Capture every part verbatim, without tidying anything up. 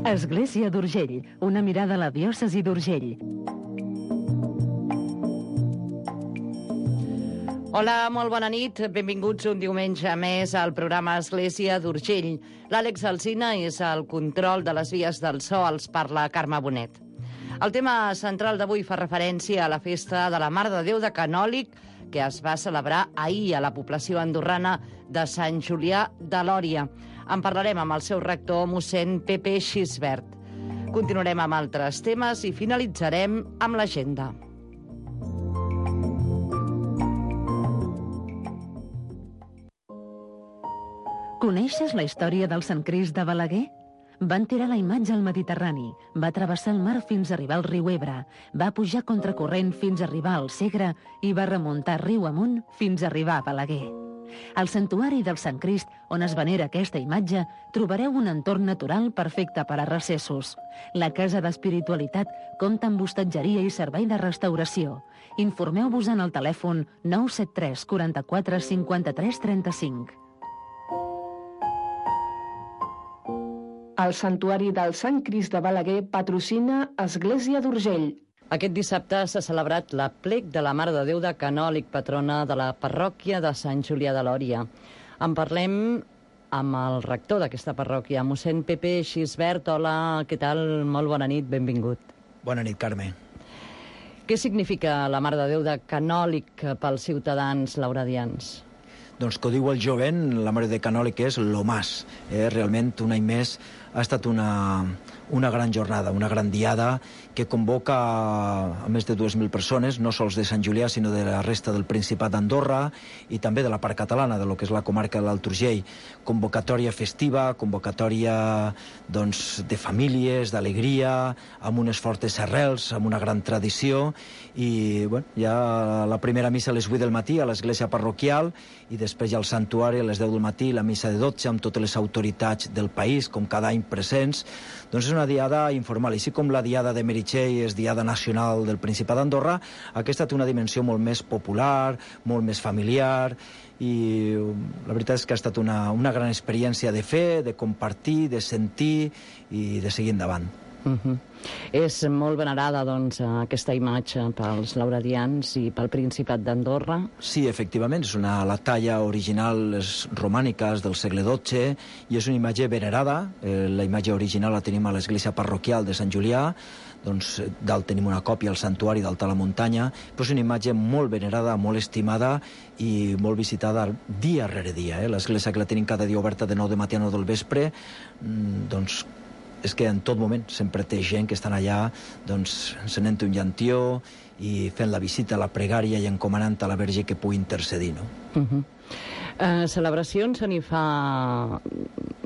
Església d'Urgell, una mirada a la diòcesi d'Urgell. Hola, molt bona nit. Benvinguts un diumenge més al programa Església d'Urgell. L'Àlex Alsina és al control de les vies del so, els parla Carme Bonet. El tema central d'avui fa referència a la festa de la Mare de Déu de Canòlig, que es va celebrar ahir a la població andorrana de Sant Julià de Lòria. En parlarem amb el seu rector, mossèn Pepe Xisbert. Continuarem amb altres temes i finalitzarem amb l'agenda. Coneixes la història del Sant Crist de Balaguer? Van tirar la imatge al Mediterrani, va travessar el mar fins a arribar al riu Ebre, va pujar contracorrent fins a arribar al Segre i va remuntar riu amunt fins a arribar a Balaguer. Al santuari del Sant Crist, on es venera aquesta imatge, trobareu un entorn natural perfecte per a recessos. La Casa d'Espiritualitat compta amb hostatgeria i servei de restauració. Informeu-vos en el telèfon nou set tres quaranta-quatre cinquanta-tres trenta-cinc. El Santuari del Sant Crist de Balaguer patrocina Església d'Urgell. Aquest dissabte s'ha celebrat l'aplec de la Mare de Déu de Canòlig, patrona de la parròquia de Sant Julià de Lòria. En parlem amb el rector d'aquesta parròquia, mossèn Pepe Xisbert. Hola, què tal? Molt bona nit, benvingut. Bona nit, Carme. Què significa la Mare de Déu de Canòlig pels ciutadans lauradians? Doncs que ho diu el jovent, la Mare de Canòlig és lo más. Eh? Realment, un any més ha estat una, una gran jornada, una gran diada que convoca a més de dues mil persones, no sols de Sant Julià, sinó de la resta del Principat d'Andorra i també de la part catalana, de lo que és la comarca de l'Alt Urgell. Convocatòria festiva, convocatòria doncs, de famílies, d'alegria, amb unes fortes arrels, amb una gran tradició, i bueno, ja la primera missa a les vuit del matí a l'església parroquial i després ja al santuari a les deu del matí, la missa de dotze amb totes les autoritats del país, com cada any presents. Doncs és una diada informal. Així com la diada de Meritxell és diada nacional del Principat d'Andorra, aquesta té una dimensió molt més popular, molt més familiar, i la veritat és que ha estat una, una gran experiència de fer, de compartir, de sentir i de seguir endavant. Uh-huh. És molt venerada, doncs, aquesta imatge pels lauradians i pel Principat d'Andorra? Sí, efectivament, és una, la talla original és romànica, és del segle dotze, i és una imatge venerada. Eh, la imatge original la tenim a l'església parroquial de Sant Julià, doncs dalt tenim una còpia al santuari d'Alt a la Muntanya, però és una imatge molt venerada, molt estimada i molt visitada dia rere dia. Eh? L'església que la tenim cada dia oberta de nou de matí a nou del vespre, doncs és que en tot moment sempre té gent que estan allà doncs, encenent un llantió i fent la visita, la pregària i encomanant a la Verge que pugui intercedir, no? Uh-huh. Uh, celebracions se n'hi fa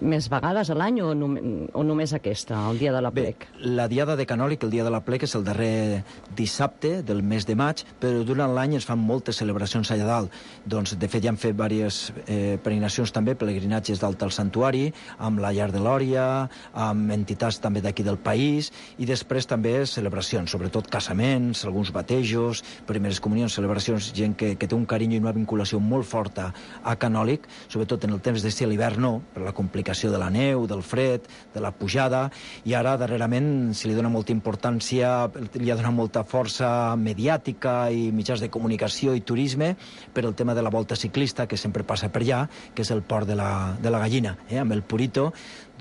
més vegades a l'any o, nom o només aquesta, el dia de l'aplec? Bé, la diada de Canòlig, el dia de l'aplec, és el darrer dissabte del mes de maig, però durant l'any es fan moltes celebracions allà dalt. Doncs, de fet, ja han fet diverses eh, peregrinacions també, pelegrinatges dalt al santuari, amb la Llar de Lòria, amb entitats també d'aquí del país, i després també celebracions, sobretot casaments, alguns batejos, primeres comunions, celebracions, gent que, que té un carinyo i una vinculació molt forta a Canòlig, sobretot en el temps d'estiu, a l'hivern no, per la complicació de la neu, del fred, de la pujada, i ara darrerament se li dona molta importància, li ha donat molta força mediàtica i mitjans de comunicació i turisme per el tema de la volta ciclista, que sempre passa per allà, que és el port de la, de la Gallina, eh, amb el Purito,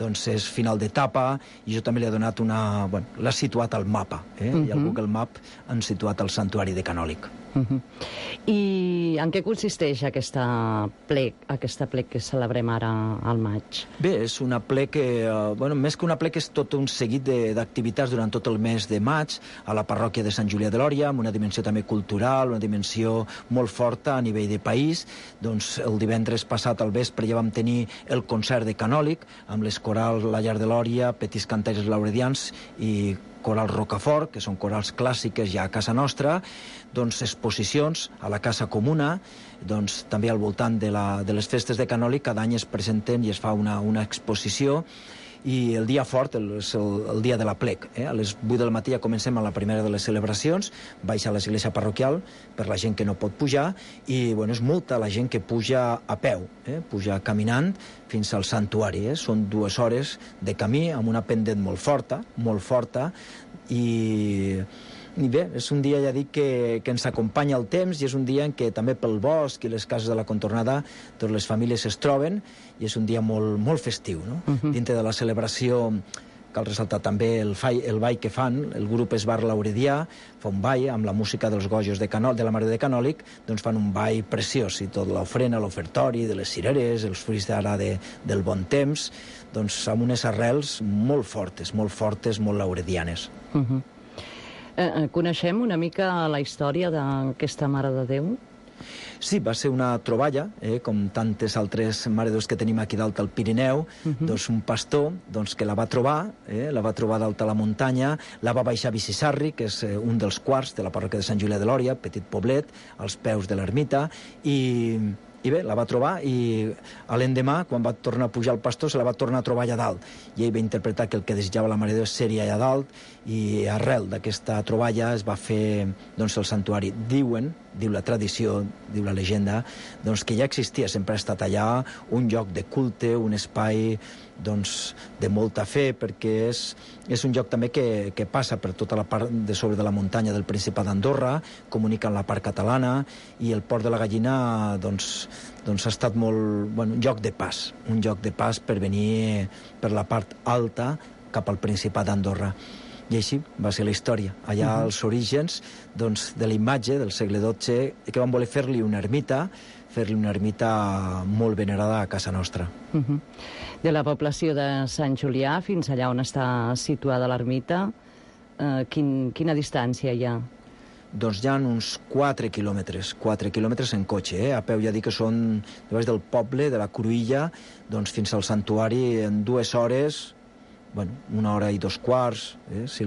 doncs és final d'etapa, i jo també li he donat una... Bueno, l'ha situat al mapa, eh? Uh-huh. I al Google Map han situat el santuari de Canòlig. Uh-huh. I en què consisteix aquesta plec, aquesta plec que celebrem ara al maig? Bé, és una plec que, eh, bueno, més que una plec, és tot un seguit d'activitats durant tot el mes de maig a la parròquia de Sant Julià de Lòria, amb una dimensió també cultural, una dimensió molt forta a nivell de país. Doncs el divendres passat al vespre ja vam tenir el concert de Canòlig, amb les corals La Llar de Lòria, Petits Cantaires Lauredians i Coral Rocafort, que són corals clàssiques ja a casa nostra, doncs exposicions a la Casa Comuna, doncs també al voltant de, la, de les festes de Canòlig, cada any es presenten i es fa una, una exposició, i el dia fort el, és el, el dia de la plec. Eh? A les vuit del matí ja comencem a la primera de les celebracions, baixa a l'església parroquial per la gent que no pot pujar, i bueno, és molta la gent que puja a peu, eh? puja caminant fins al santuari. Eh? Són dues hores de camí amb una pendent molt forta, molt forta, i... I bé, és un dia, ja dic, que, que ens acompanya el temps, i és un dia en què també pel bosc i les cases de la contornada totes les famílies es troben, i és un dia molt, molt festiu, no? Uh-huh. Dintre de la celebració cal ressaltar també el, fai, el ball que fan, el grup Esbar Lauredià fa un ball amb la música dels gojos de, Canol, de la Mare de Canòlic, doncs fan un ball preciós, i tot l'ofrena, l'ofertori, de les cireres, els fruits d'ara de, del bon temps, doncs amb unes arrels molt fortes, molt fortes, molt lauredianes. Uh-huh. Eh, coneixem una mica la història d'aquesta Mare de Déu? Sí, va ser una troballa, eh, com tantes altres Mare de Déus que tenim aquí dalt al Pirineu, uh-huh. doncs un pastor doncs, que la va trobar, eh, la va trobar dalt a la muntanya, la va baixar a Bicissarri, que és eh, un dels quarts de la parròquia de Sant Julià de Lòria, petit poblet, als peus de l'ermita, i... I bé, la va trobar, i l'endemà, quan va tornar a pujar el pastor, se la va tornar a trobar allà dalt. I ell va interpretar que el que desitjava la Mare de Déu seria allà dalt, i arrel d'aquesta troballa es va fer doncs, el santuari. Diuen, diu la tradició, diu la llegenda, doncs, que ja existia, sempre ha estat allà un lloc de culte, un espai doncs, de molta fe, perquè és, és un lloc també que, que passa per tota la part de sobre de la muntanya del Principat d'Andorra, comunica amb la part catalana, i el Port de la Gallina doncs, doncs ha estat molt, bueno, un lloc de pas, un lloc de pas per venir per la part alta cap al Principat d'Andorra. I així va ser la història. Allà uh-huh. als orígens doncs, de la imatge del segle dotze, que van voler fer-li una ermita, fer-li una ermita molt venerada a casa nostra. Uh-huh. De la població de Sant Julià fins allà on està situada l'ermita, eh, quin, quina distància hi ha? Doncs hi ha uns quatre quilòmetres, quatre quilòmetres en cotxe, eh? A peu ja dic que són de baix del poble, de la Cruïlla, doncs fins al santuari en dues hores, bueno, una hora i dos quarts, eh? si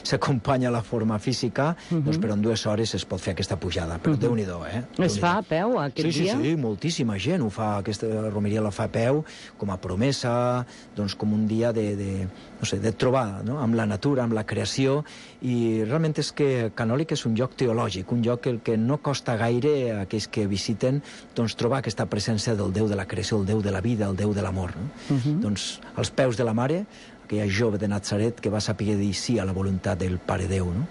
s'acompanya si la forma física, uh-huh. doncs però en dues hores es pot fer aquesta pujada, però uh-huh. Déu-n'hi-do, eh? Es fa a peu aquest sí, dia? Sí, sí, moltíssima gent ho fa, aquesta romeria la fa a peu, com a promesa, doncs com un dia de, de, no sé, de trobada, no? Amb la natura, amb la creació, i realment és que Canòlic és un lloc teològic, un lloc el que no costa gaire a aquells que visiten doncs trobar aquesta presència del Déu de la creació, el Déu de la vida, el Déu de l'amor, no? Uh-huh. Doncs als peus de la Mare, aquella jove de Natzaret que va saber dir sí a la voluntat del Pare Déu, no?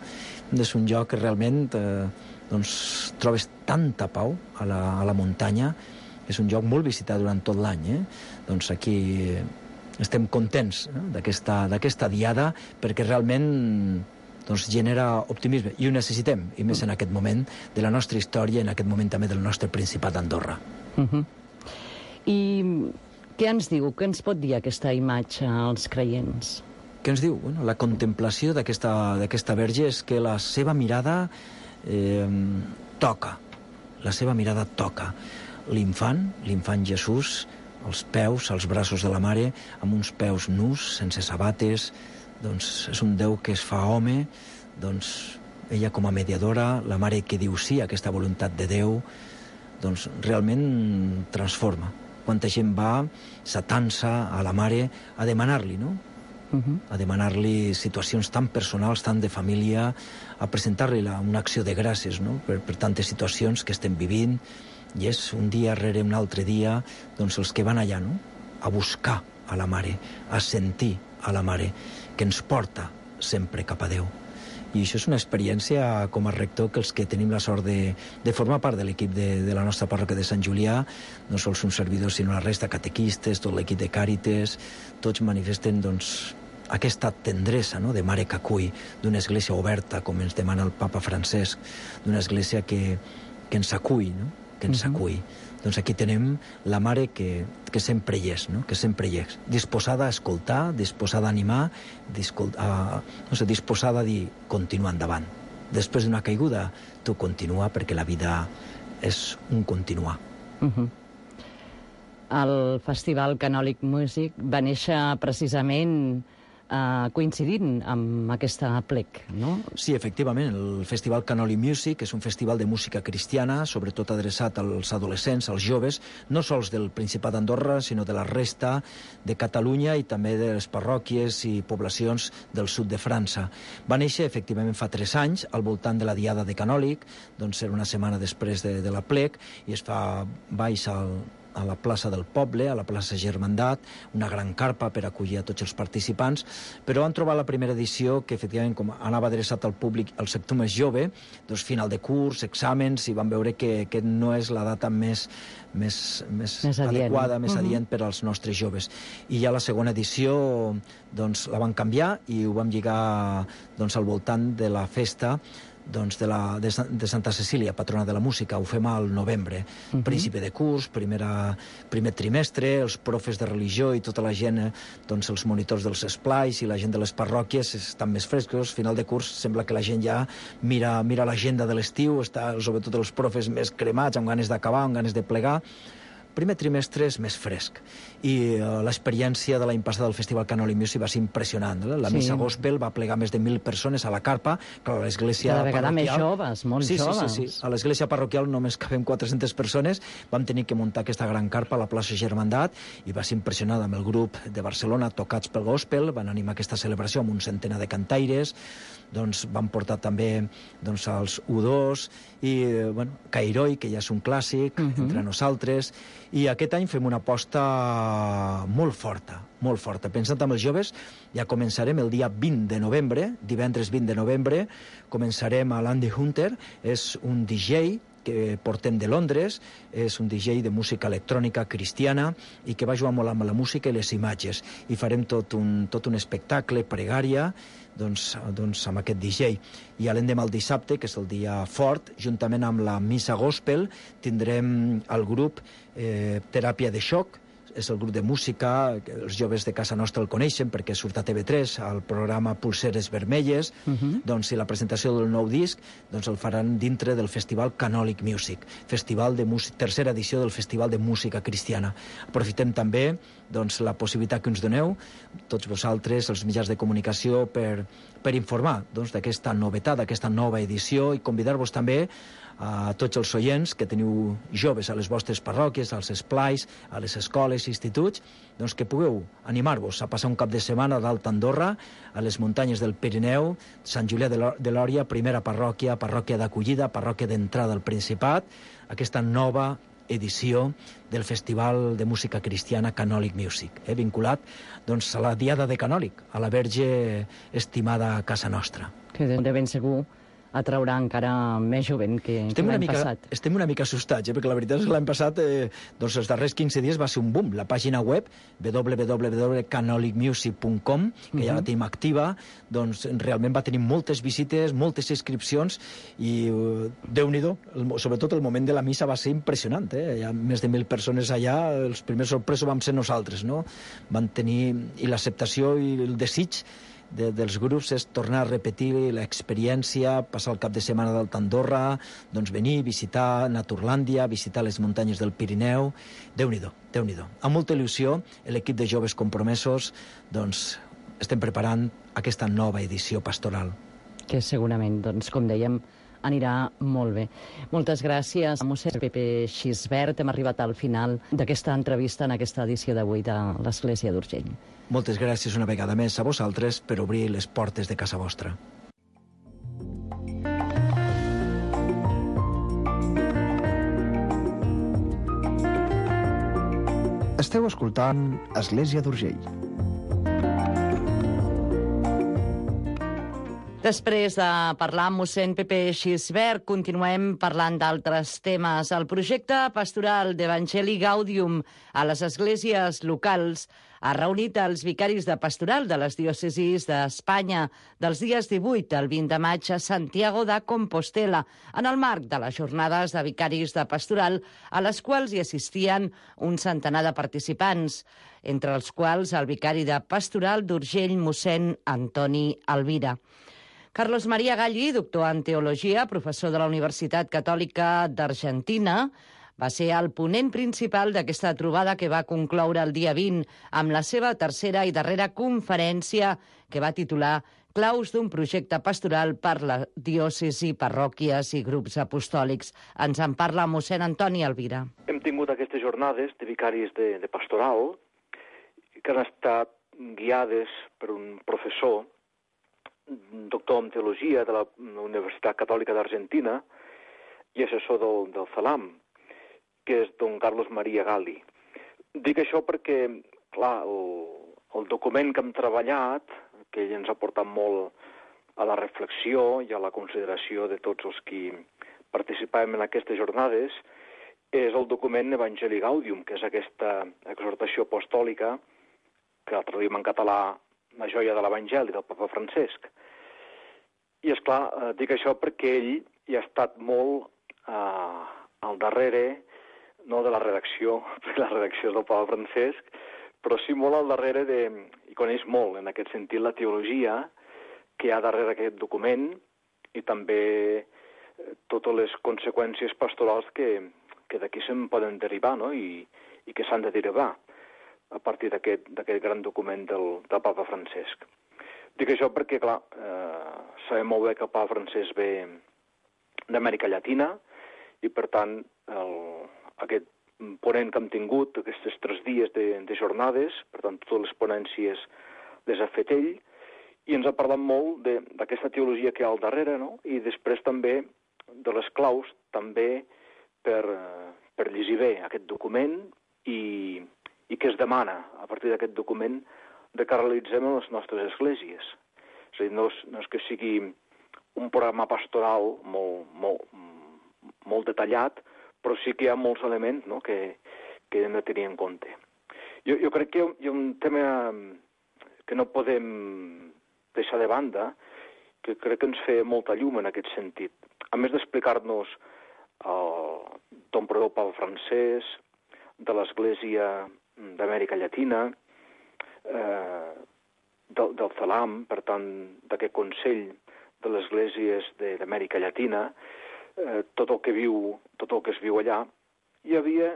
És un lloc que realment eh, doncs, trobes tanta pau a la, a la muntanya, és un lloc molt visitat durant tot l'any, eh? Doncs aquí estem contents eh, d'aquesta diada, perquè realment doncs, genera optimisme, i ho necessitem, i més en aquest moment de la nostra història, en aquest moment també del nostre Principat d'Andorra. Uh-huh. I què ens diu, què ens pot dir aquesta imatge als creients? Què ens diu? Bueno, la contemplació d'aquesta verge és que la seva mirada eh, toca, la seva mirada toca. L'infant, l'infant Jesús, als peus, als braços de la Mare, amb uns peus nus, sense sabates, doncs és un Déu que es fa home, doncs ella com a mediadora, la Mare que diu sí a aquesta voluntat de Déu, doncs realment transforma. Quanta gent va s'atansa a la Mare a demanar-li, no? Uh-huh. A demanar-li situacions tan personals, tan de família, a presentar-li una acció de gràcies, no? Per, per tantes situacions que estem vivint, i és un dia rere un altre dia, doncs els que van allà, no? A buscar a la Mare, a sentir a la Mare, que ens porta sempre cap a Déu. I això és una experiència com a rector que els que tenim la sort de, de formar part de l'equip de, de la nostra parròquia de Sant Julià, no sols un servidor sinó la resta, catequistes, tot l'equip de Càrites, tots manifesten doncs, aquesta tendresa, no?, de Mare que acull, d'una església oberta, com ens demana el papa Francesc, d'una església que, que ens acull, no?, que ens acull. Uh-huh. Doncs aquí tenem la Mare que, que sempre hi és, no?, que sempre hi és, disposada a escoltar, disposada a animar, a, no sé, disposada a dir continua endavant. Després d'una caiguda, tu continua, perquè la vida és un continuar. Uh-huh. El Festival Canòlic Music va néixer precisament eh, coincidint amb aquesta plec, no? Sí, efectivament, el Festival Canoli Music és un festival de música cristiana, sobretot adreçat als adolescents, als joves, no sols del Principat d'Andorra, sinó de la resta de Catalunya i també de les parròquies i poblacions del sud de França. Va néixer, efectivament, fa tres anys, al voltant de la Diada de Canòlic, doncs era una setmana després de, de la plec, i es fa baix al a la plaça del Poble, a la plaça Germandat, una gran carpa per acollir a tots els participants, però han trobat la primera edició que, efectivament, com anava adreçat al públic, al sector més jove, doncs final de curs, exàmens, i van veure que, que no és la data més, més, més, més adequada, adient. més uh-huh. adient per als nostres joves. I ja la segona edició doncs, la van canviar i ho vam lligar doncs, al voltant de la festa doncs de, la, de, de Santa Cecília, patrona de la música. Ho fem al novembre. Uh-huh. Principi de curs, primera, primer trimestre, els profes de religió i tota la gent, doncs els monitors dels esplais i la gent de les parròquies estan més frescos. Final de curs sembla que la gent ja mira, mira l'agenda de l'estiu, està sobretot els profes més cremats, amb ganes d'acabar, amb ganes de plegar. Primer trimestre és més fresc i uh, l'experiència de l'any passat del Festival Canoli Music va ser impressionant. Eh? La sí. missa gospel va plegar més de mil persones a la carpa, però a l'església Cada vegada parroquial... més joves, molt sí, joves. Sí, sí, sí. A l'església parroquial només cabem quatre-centes persones, vam tenir que muntar aquesta gran carpa a la plaça Germandat i va ser impressionant amb el grup de Barcelona, Tocats pel Gospel, van animar aquesta celebració amb un centenar de cantaires, doncs van portar també doncs, els U dos i, bueno, Cairoi, que ja és un clàssic, uh-huh. entre nosaltres, i aquest any fem una aposta molt forta, molt forta. Pensant amb els joves, ja començarem el dia vint de novembre, divendres vint de novembre, començarem a l'Andy Hunter, és un D J que portem de Londres, és un D J de música electrònica cristiana i que va jugar molt amb la música i les imatges. I farem tot un, tot un espectacle, pregària, doncs, doncs amb aquest D J. I l'endemà el dissabte, que és el dia fort, juntament amb la missa gospel, tindrem el grup eh, Teràpia de Xoc, és el grup de música, que els joves de casa nostra el coneixen perquè surt a T V tres, al programa Pulseres Vermelles, uh-huh. doncs, i la presentació del nou disc doncs, el faran dintre del Festival Canòlic Music, festival de música, tercera edició del Festival de Música Cristiana. Aprofitem també doncs, la possibilitat que ens doneu, tots vosaltres, els mitjans de comunicació, per, per informar doncs, d'aquesta novetat, d'aquesta nova edició, i convidar-vos també a tots els oients que teniu joves a les vostres parròquies, als esplais, a les escoles i instituts, doncs que pugueu animar-vos a passar un cap de setmana a l'Alta Andorra, a les muntanyes del Pirineu, Sant Julià de Lòria, primera parròquia, parròquia d'acollida, parròquia d'entrada al Principat, aquesta nova edició del Festival de Música Cristiana Canòlic Music, eh, vinculat doncs, a la Diada de Canòlic, a la Verge estimada a casa nostra. Que de ben segur atraurà encara més jovent que, que l'any mica, passat. Estem una mica assustats, eh? perquè la veritat és que l'any passat, eh, doncs els darrers quinze dies va ser un boom. La pàgina web, w w w punt canolic music punt com, que uh-huh. ja la tenim activa, doncs realment va tenir moltes visites, moltes inscripcions, i uh, Déu-n'hi-do, sobretot el moment de la missa va ser impressionant. Eh? Hi ha més de mil persones allà, els primers sorpresos vam ser nosaltres, no? Van tenir, i l'acceptació i el desig De, dels grups és tornar a repetir l'experiència, passar el cap de setmana d'Alta Andorra, doncs venir, visitar Naturlàndia, visitar les muntanyes del Pirineu. Déu-n'hi-do, Déu-n'hi-do. Amb molta il·lusió, l'equip de joves compromesos, doncs estem preparant aquesta nova edició pastoral. Que segurament, doncs, com dèiem, anirà molt bé. Moltes gràcies, mossèn Pepe Xisbert. Hem arribat al final d'aquesta entrevista en aquesta edició d'avui de l'Església d'Urgell. Moltes gràcies una vegada més a vosaltres per obrir les portes de casa vostra. Esteu escoltant Església d'Urgell. Després de parlar amb mossèn Pepe Xisbert, continuem parlant d'altres temes. El projecte pastoral d'Evangeli Gaudium a les esglésies locals ha reunit els vicaris de pastoral de les diòcesis d'Espanya dels dies divuit al vint de maig a Santiago de Compostela, en el marc de les jornades de vicaris de pastoral, a les quals hi assistien un centenar de participants, entre els quals el vicari de pastoral d'Urgell, mossèn Antoni Alvira. Carlos María Galli, doctor en Teologia, professor de la Universitat Catòlica d'Argentina, Va ser el ponent principal d'aquesta trobada que va concloure el dia vint amb la seva tercera i darrera conferència que va titular Claus d'un projecte pastoral per la diòcesi, parròquies i grups apostòlics. Ens en parla mossèn Antoni Elvira. Hem tingut aquestes jornades de vicaris de, de pastoral que han estat guiades per un professor, doctor en teologia de la Universitat Catòlica d'Argentina i assessor del, del CELAM, que és don Carlos María Gali. Dic això perquè, clar, el, el document que hem treballat, que ell ens ha portat molt a la reflexió i a la consideració de tots els qui participàvem en aquestes jornades, és el document Evangelii Gaudium, que és aquesta exhortació apostòlica que la traduïm en català La joia de l'Evangeli, del papa Francesc. I, esclar, eh, dic això perquè ell hi ha estat molt eh, al darrere, no de la redacció, perquè la redacció és del papa Francesc, però sí molt al darrere de, i coneix molt, en aquest sentit, la teologia que hi ha darrere aquest document i també totes les conseqüències pastorals que, que d'aquí se'n poden derivar, no? I, i que s'han de derivar a partir d'aquest gran document del, del papa Francesc. Dic això perquè, clar, eh, sabem molt bé que el papa Francesc ve d'Amèrica Llatina i, per tant, el, aquest ponent que hem tingut, aquests tres dies de, de jornades, per tant, totes les ponències les ha fet ell, i ens ha parlat molt d'aquesta teologia que hi ha al darrere, no? I després també de les claus, també per, per llegir bé aquest document i, i què es demana a partir d'aquest document de que realitzem en les nostres esglésies. És a dir, no és, no és que sigui un programa pastoral molt, molt, molt detallat, però sí que hi ha molts elements, no?, que, que hem de tenir en compte. Jo, jo crec que hi ha un tema que no podem deixar de banda, que crec que ens fa molta llum en aquest sentit. A més d'explicar-nos el don Perdó Papa Francesc, de l'Església d'Amèrica Llatina, eh, del, del CELAM, per tant, d'aquest Consell de les Esglésies d'Amèrica Llatina, eh, tot el que viu, tot el que es viu allà, hi havia,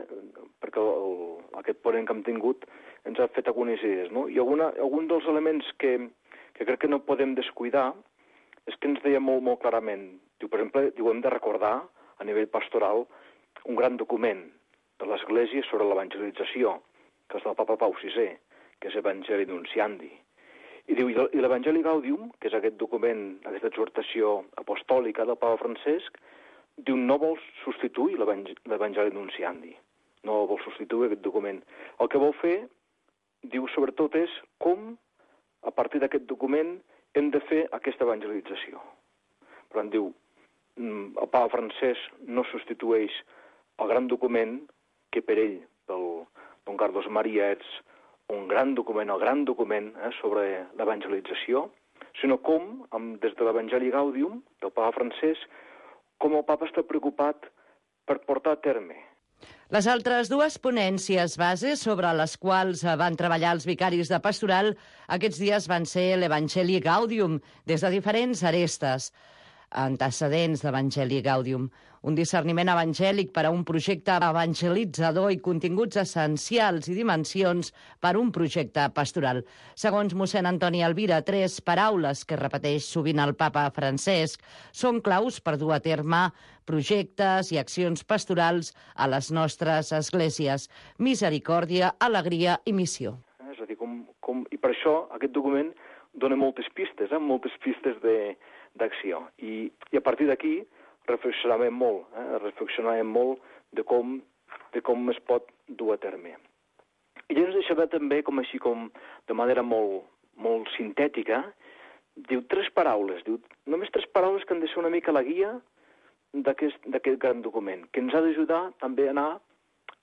perquè el, aquest ponent que hem tingut ens ha fet algunes idees, no? I alguna, algun dels elements que, que crec que no podem descuidar és que ens deia molt, molt clarament. Diu, per exemple, diu, hem de recordar a nivell pastoral un gran document de l'Església sobre l'evangelització, que és del papa Pau sisè, que és Evangelii Nuntiandi. I diu, i l'Evangelii Gaudium, que és aquest document, aquesta exhortació apostòlica del papa Francesc, diu, no vol substituir l'Evangelii Nuntiandi, no vol substituir aquest document. El que vol fer, diu, sobretot és com, a partir d'aquest document, hem de fer aquesta evangelització. Per tant, diu, el papa Francesc no substitueix el gran document que per ell, pel don Carlos María, és un gran document, el gran document eh, sobre l'evangelització, sinó com, amb, des de l'Evangelii Gaudium, del papa Francesc, com el papa està preocupat per portar a terme. Les altres dues ponències bases sobre les quals van treballar els vicaris de pastoral aquests dies van ser l'Evangelii Gaudium, des de diferents arestes antecedents d'Evangelii Gaudium, un discerniment evangèlic per a un projecte evangelitzador i continguts essencials i dimensions per a un projecte pastoral. Segons mossèn Antoni Elvira, tres paraules que repeteix sovint el papa Francesc són claus per dur a terme projectes i accions pastorals a les nostres esglésies: misericòrdia, alegria i missió. És a dir, com, com, i per això aquest document dona moltes pistes, eh? moltes pistes de, d'acció. I, I a partir d'aquí reflexionàvem molt, eh? reflexionàvem molt de com, de com es pot dur a terme. I ens deixava també, com així, com de manera molt, molt sintètica, diu tres paraules, diu només tres paraules que han de ser una mica la guia d'aquest gran document, que ens ha d'ajudar també a anar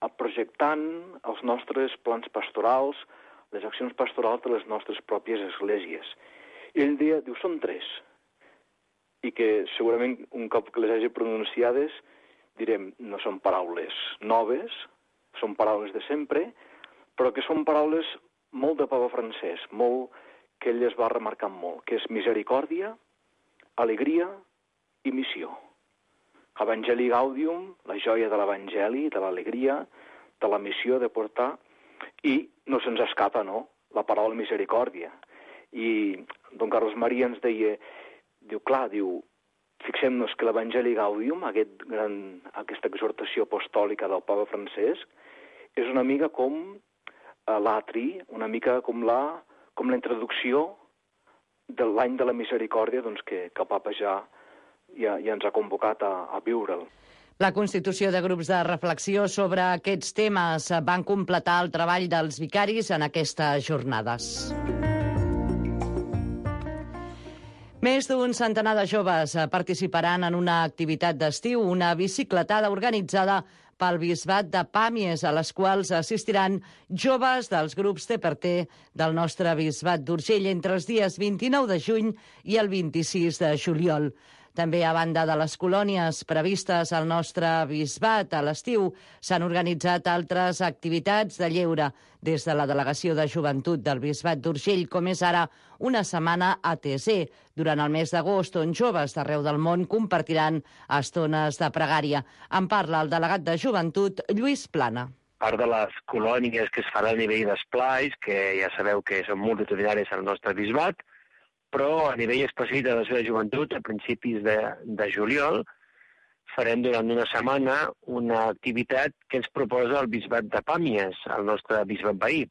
a projectant els nostres plans pastorals, les accions pastorals de les nostres pròpies esglésies. I ell deia, diu, són tres, i que segurament un cop que les hagi pronunciades direm, no són paraules noves, són paraules de sempre, però que són paraules molt de papa Francesc, molt que ell es va remarcar molt, que és misericòrdia, alegria i missió. Evangeli Gaudium, la joia de l'Evangeli, de l'alegria, de la missió de portar, i no se'ns escapa, no?, la paraula misericòrdia. I don Carlos Maria ens deia, diu, clar, diu, fixem-nos que l'Evangeli Gaudium, aquest gran, aquesta exhortació apostòlica del Papa Francesc, és una mica com uh, l'atri, una mica com la, com la introducció de l'any de la misericòrdia, doncs, que, que el Papa ja, ja, ja ens ha convocat a, a viure'l. La constitució de grups de reflexió sobre aquests temes van completar el treball dels vicaris en aquestes jornades. Més d'un centenar de joves participaran en una activitat d'estiu, una bicicletada organitzada pel Bisbat de Pàmies, a les quals assistiran joves dels grups T per T del nostre Bisbat d'Urgell entre els dies vint-i-nou de juny i el vint-i-sis de juliol. També, a banda de les colònies previstes al nostre bisbat a l'estiu, s'han organitzat altres activitats de lleure des de la Delegació de Joventut del Bisbat d'Urgell, com és ara una setmana A T Z, durant el mes d'agost, on joves d'arreu del món compartiran estones de pregària. En parla el delegat de Joventut, Lluís Plana. Part de les colònies que es faran a nivell d'esplais, que ja sabeu que són multitudinaris al nostre bisbat, però a nivell específic de la seva joventut, a principis de, de juliol, farem durant una setmana una activitat que ens proposa el Bisbat de Pàmies, el nostre bisbat veí,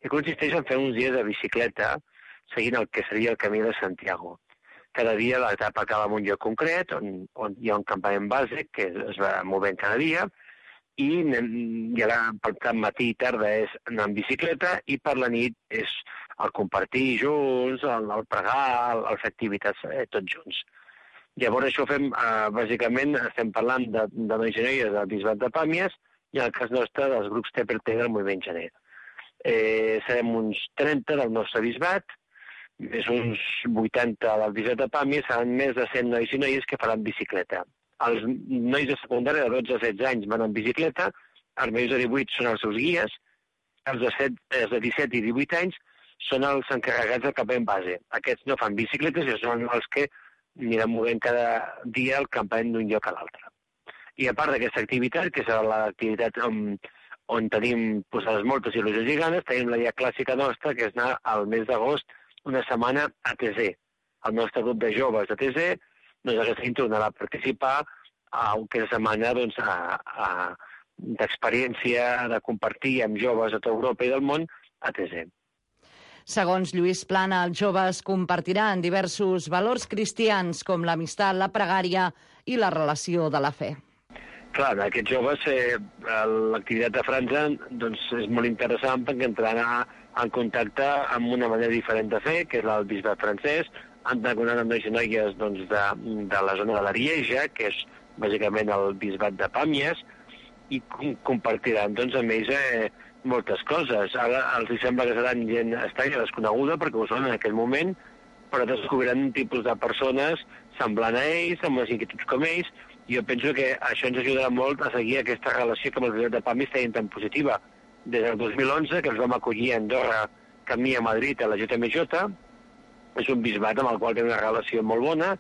que consisteix en fer uns dies de bicicleta seguint el que seria el camí de Santiago. Cada dia l'etapa acaba en un lloc concret, on, on hi ha un campament bàsic que es va movent cada dia, i, i ara per tant matí i tarda és anar en bicicleta i per la nit és el compartir junts, el, el pregar, el, el fer activitats eh, tots junts. Llavors això fem, eh, bàsicament, estem parlant de, de nois i noies del Bisbat de Pàmies i en el cas nostre dels grups T per T del Moviment Gener. Eh, serem uns trenta del nostre bisbat, més uns vuitanta del Bisbat de Pàmies, seran més de cent nois i noies que faran bicicleta. Els nois de secundària de dotze a setze anys van en bicicleta, els majors de divuit són els seus guies, els de, set, els de disset i divuit anys són els encarregats del campament base. Aquests no fan bicicletes i són els que aniran movent cada dia el campament d'un lloc a l'altre. I a part d'aquesta activitat, que és l'activitat on, on tenim posades moltes il·lusions i ganes, tenim la guia clàssica nostra, que és anar al mes d'agost una setmana a T Z. El nostre grup de joves de T Z doncs aquesta any tornarà a participar a una setmana doncs, d'experiència, de compartir amb joves de tota Europa i del món a T Z. Segons Lluís Plana, els joves compartiran diversos valors cristians com l'amistat, la pregària i la relació de la fe. Clar, aquests joves, eh, l'activitat de França doncs, és molt interessant perquè entraran en contacte amb una manera diferent de fer, que és el bisbat francès, han de coneure amb nois i noies doncs, de, de la zona de l'Arieja, que és bàsicament el bisbat de Pàmies, i compartiran doncs, amb ells eh, moltes coses. Ara els sembla que seran gent estranya, desconeguda, perquè ho són en aquell moment, però descobriran un tipus de persones semblant a ells, amb les inquietuds com ells, i jo penso que això ens ajudarà molt a seguir aquesta relació que amb el bisbat de Pàmies tenien tan positiva. Des del dos mil onze, que els vam acollir a Andorra, camí a Madrid, a la J M J, és un bisbat amb el qual té una relació molt bona,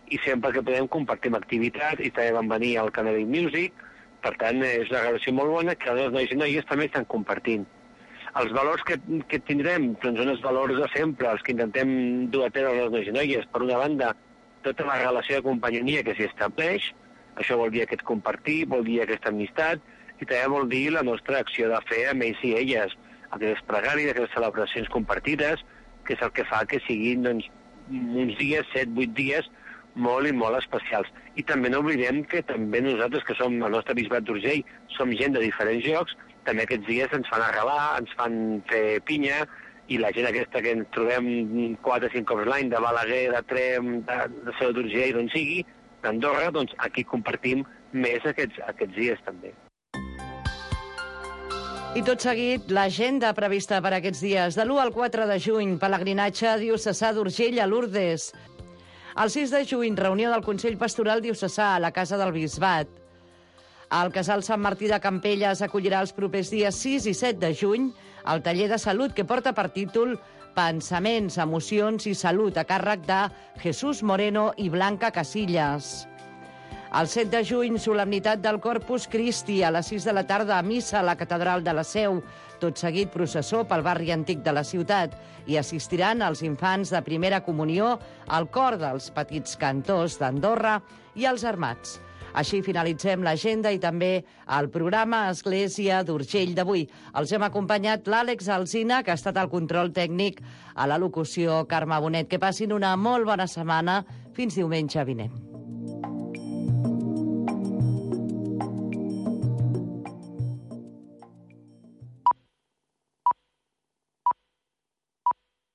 i sempre que podem compartim activitats, i també van venir al Canary Music, per tant, és una relació molt bona que els nois i noies també estan compartint. Els valors que, que tindrem doncs són els valors de sempre, els que intentem dur a terme els nois i noies. Per una banda, tota la relació de companyia que s'hi estableix, això vol dir aquest compartir, vol dir aquesta amistat, i també vol dir la nostra acció de fer amb ells i elles, aquestes pregàries, aquestes celebracions compartides, que és el que fa que siguin doncs, uns dies, set, vuit dies, molt i molt especials. I també no oblidem que també nosaltres, que som el nostre bisbat d'Urgell, som gent de diferents llocs, també aquests dies ens fan arrelar, ens fan fer pinya, i la gent aquesta que ens trobem quatre o cinc cops l'any de Balaguer, de Trem, de, de Seu d'Urgell, d'on sigui, d'Andorra, doncs aquí compartim més aquests, aquests dies també. I tot seguit, l'agenda prevista per aquests dies. De l'u al quatre de juny, pelegrinatge diocesà d'Urgell a Lourdes. El sis de juny, reunió del Consell Pastoral Diocesà a la Casa del Bisbat. El Casal Sant Martí de Campelles acollirà els propers dies sis i set de juny el taller de salut que porta per títol Pensaments, emocions i salut a càrrec de Jesús Moreno i Blanca Casillas. El set de juny, solemnitat del Corpus Christi, a les sis de la tarda a missa a la Catedral de la Seu. Tot seguit, processó pel barri antic de la ciutat. I assistiran els infants de primera comunió, al cor dels petits cantors d'Andorra i els armats. Així finalitzem l'agenda i també el programa Església d'Urgell d'avui. Els hem acompanyat l'Àlex Alsina, que ha estat al control tècnic, a la locució Carme Bonet. Que passin una molt bona setmana. Fins diumenge vinent.